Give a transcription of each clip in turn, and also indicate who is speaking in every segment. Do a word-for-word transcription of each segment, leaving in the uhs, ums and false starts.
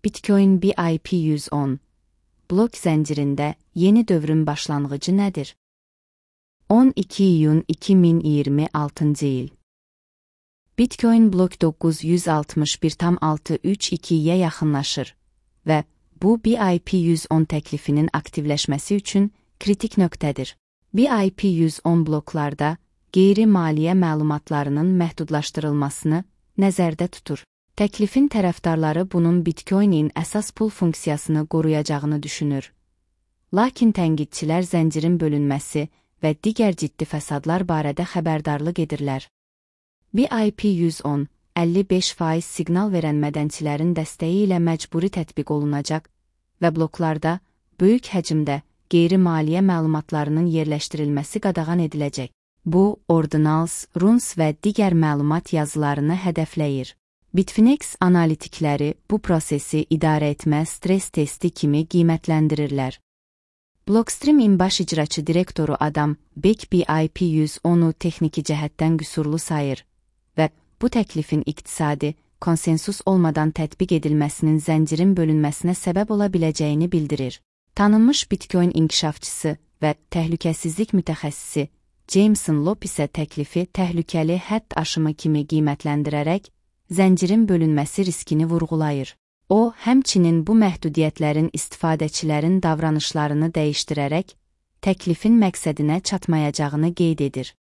Speaker 1: Bitcoin B I P yüz on blok zəncirində yeni dövrün başlanğıcı nədir? on iki iyun iki min iyirmi altıncı il. Bitcoin blok doqquz yüz altmış bir tam altı üç ikiyə yaxınlaşır və bu B I P yüz on təklifinin aktivləşməsi üçün kritik nöqtədir. B I P yüz on bloklarda qeyri-maliyyə məlumatlarının məhdudlaşdırılmasını nəzərdə tutur. Təklifin tərəfdarları bunun Bitcoin-in əsas pul funksiyasını qoruyacağını düşünür. Lakin tənqidçilər zəncirin bölünməsi və digər ciddi fəsadlar barədə xəbərdarlıq edirlər. B I P yüz on əlli beş faiz siqnal verən mədənçilərin dəstəyi ilə məcburi tətbiq olunacaq və bloklarda böyük həcmdə qeyri-maliyyə məlumatlarının yerləşdirilməsi qadağan ediləcək. Bu, ordinals, runes və digər məlumat yazılarını hədəfləyir. Bitfinex analitikləri bu prosesi idarə etmə stres testi kimi qiymətləndirirlər. Blockstream-in baş icraçı direktoru Adam Beck B I P yüz onu texniki cəhətdən qüsurlu sayır və bu təklifin iqtisadi, konsensus olmadan tətbiq edilməsinin zəncirin bölünməsinə səbəb ola biləcəyini bildirir. Tanınmış Bitcoin inkişafçısı və təhlükəsizlik mütəxəssisi Jameson Lopp isə təklifi təhlükəli hədd aşımı kimi qiymətləndirərək zəncirin bölünməsi riskini vurğulayır. O, həmçinin bu məhdudiyyətlərin istifadəçilərin davranışlarını dəyişdirərək təklifin məqsədinə çatmayacağını qeyd edir.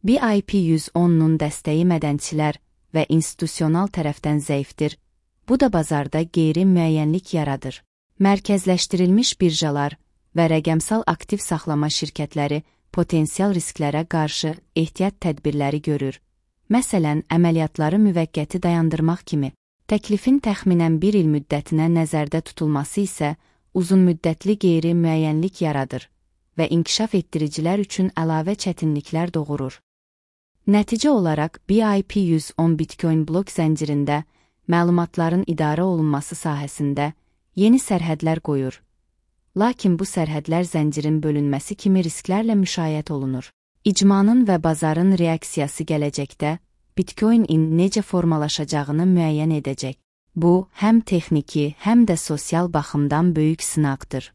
Speaker 1: B I P yüz onun dəstəyi mədənçilər və institusional tərəfdən zəifdir, bu da bazarda qeyri-müəyyənlik yaradır. Mərkəzləşdirilmiş birjalar və rəqəmsal aktiv saxlama şirkətləri potensial risklərə qarşı ehtiyat tədbirləri görür. Məsələn, əməliyyatları müvəqqəti dayandırmaq kimi. Təklifin təxminən bir il müddətinə nəzərdə tutulması isə uzun müddətli qeyri-müəyyənlik yaradır və inkişaf etdiricilər üçün əlavə çətinliklər doğurur. Nəticə olaraq B I P yüz on Bitcoin blok zəncirində məlumatların idarə olunması sahəsində yeni sərhədlər qoyur. Lakin bu sərhədlər zəncirin bölünməsi kimi risklərlə müşayiət olunur. İcmanın və bazarın reaksiyası gələcəkdə Bitcoin-in necə formalaşacağını müəyyən edəcək. Bu, həm texniki, həm də sosial baxımdan böyük sınaqdır.